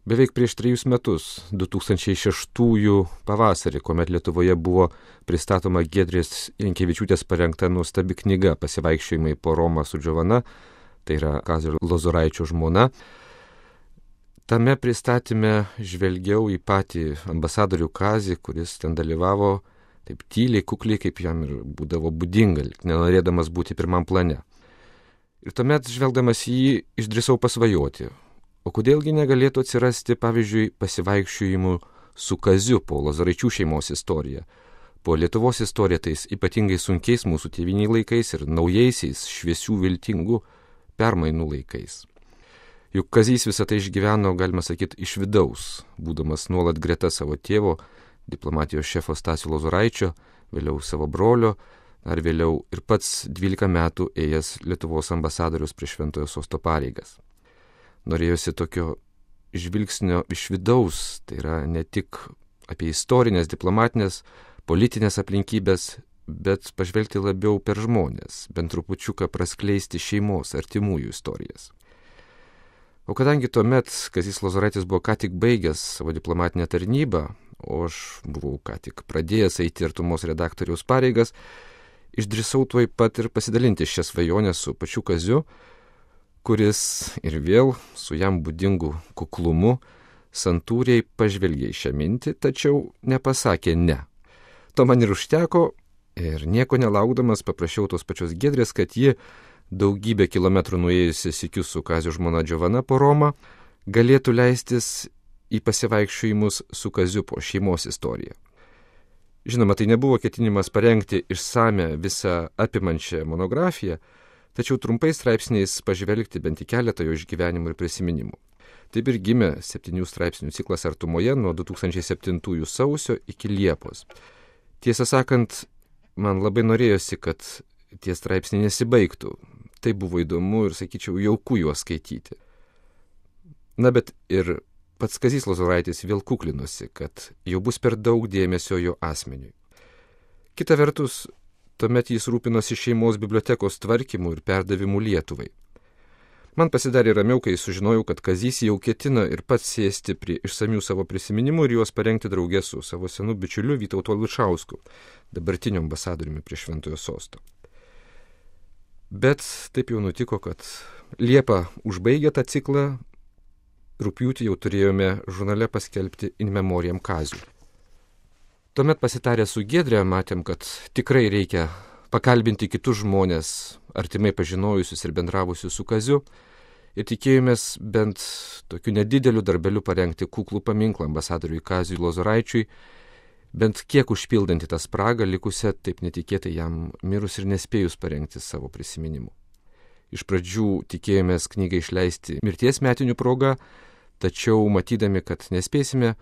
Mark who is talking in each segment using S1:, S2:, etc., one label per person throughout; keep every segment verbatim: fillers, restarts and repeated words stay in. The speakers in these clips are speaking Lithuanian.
S1: Beveik prieš trejus metus, du tūkstančiai šeštųjų pavasarį, kuomet Lietuvoje buvo pristatoma Giedrės Jankevičiūtės parengta nuostabi knyga Pasivaikščiojimai po Romą su Džovana, tai yra Kazio Lozoraičio žmona. Tame pristatyme žvelgiau į patį ambasadorių Kazį, kuris ten dalyvavo taip tyliai, kukliai, kaip jam ir būdavo būdinga, nenorėdamas būti pirmam plane. Ir tuomet, žvelgdamas į jį, išdrįsau pasvajoti. O kodėlgi negalėtų atsirasti, pavyzdžiui, pasivaikščiojimų su Kaziu po Lozoraičių šeimos istoriją, po Lietuvos istoriją tais ypatingai sunkiais mūsų tėviniai laikais ir naujaisiais šviesių viltingų permainų laikais. Juk Kazys visą tai išgyveno, galima sakyti, iš vidaus, būdamas nuolat greta savo tėvo, diplomatijos šefo Stasio Lozoraičio, vėliau savo brolio, ar vėliau ir pats dvylika metų ėjęs Lietuvos ambasadorius prie Šventojo Sosto pareigas. Norėjosi tokio žvilgsnio iš vidaus, tai yra ne tik apie istorinės, diplomatinės, politinės aplinkybės, bet pažvelgti labiau per žmonės, bent trupučiuką praskleisti šeimos, artimųjų istorijas. O kadangi tuomet Kazys Lozoraitis buvo ką tik baigęs savo diplomatinę tarnybą, o aš buvau ką tik pradėjęs eiti artumos redaktoriaus pareigas, išdrįsau tuoj pat ir pasidalinti šią svajonę su pačiu Kaziu, kuris ir vėl su jam būdingu kuklumu santūriai pažvelgė į šią mintį, tačiau nepasakė ne. To man ir užteko ir nieko nelaukdamas paprašiau tos pačios Giedrės, kad ji, daugybę kilometrų nuėjusi sykiu su Kazio žmona Džovana po Romą, galėtų leistis į pasivaikščiojimus su Kaziu po šeimos istoriją. Žinoma, tai nebuvo ketinimas parengti išsame visą apimančią monografiją, tačiau trumpai straipsniais pažvelgti bent į keletą jo išgyvenimų ir prisiminimų. Taip ir gimė septynių straipsnių ciklas Artumoje nuo du tūkstančiai septintųjų sausio iki Liepos. Tiesą sakant, man labai norėjosi, kad tie straipsniai nesibaigtų. Tai buvo įdomu ir, sakyčiau, jauku juos skaityti. Na, bet ir pats Kazys Lozoraitis vėl kuklinosi, kad jau bus per daug dėmesio jo asmeniui. Kita vertus, tuomet jis rūpinosi šeimos bibliotekos tvarkymu ir perdavimu Lietuvai. Man pasidarė ramiau, kai sužinojau, kad Kazys jau ketina ir pats sėsti prie išsamių savo prisiminimų ir juos parengti draugė su savo senu bičiuliu Vytautu Ališausku, dabartiniu ambasadoriumi prie Šventojo Sosto. Bet taip jau nutiko, kad Liepą užbaigę tą ciklą, rugpjūtį jau turėjome žurnale paskelbti In Memoriam Kaziui. Tuomet pasitarę su Giedre matėm, kad tikrai reikia pakalbinti kitus žmonės, artimai pažinojusius ir bendravusius su Kaziu, ir tikėjomės bent tokiu nedideliu darbeliu parengti kuklų paminklą ambasadoriui Kaziui Lozoraičiui, bent kiek užpildantį tą spragą likusią taip netikėtai jam mirus ir nespėjus parengti savo prisiminimų. Iš pradžių tikėjomės knygą išleisti mirties metinių proga, tačiau matydami, kad nespėsime,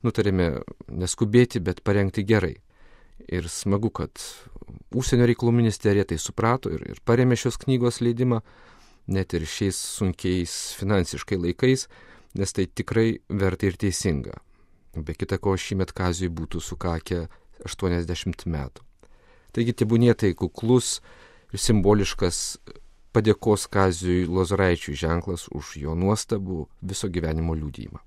S1: nutarėme neskubėti, bet parengti gerai. Ir smagu, kad Užsienio reikalų ministerija tai suprato ir, ir parėmė šios knygos leidimą, net ir šiais sunkiais finansiškai laikais, nes tai tikrai verta ir teisinga. Be kita ko, šįmet Kaziui būtų sukakę aštuoniasdešimt metų. Taigi tebūnie tai kuklus ir simboliškas padėkos Kaziui Lozoraičiui ženklas už jo nuostabų viso gyvenimo liudijimą.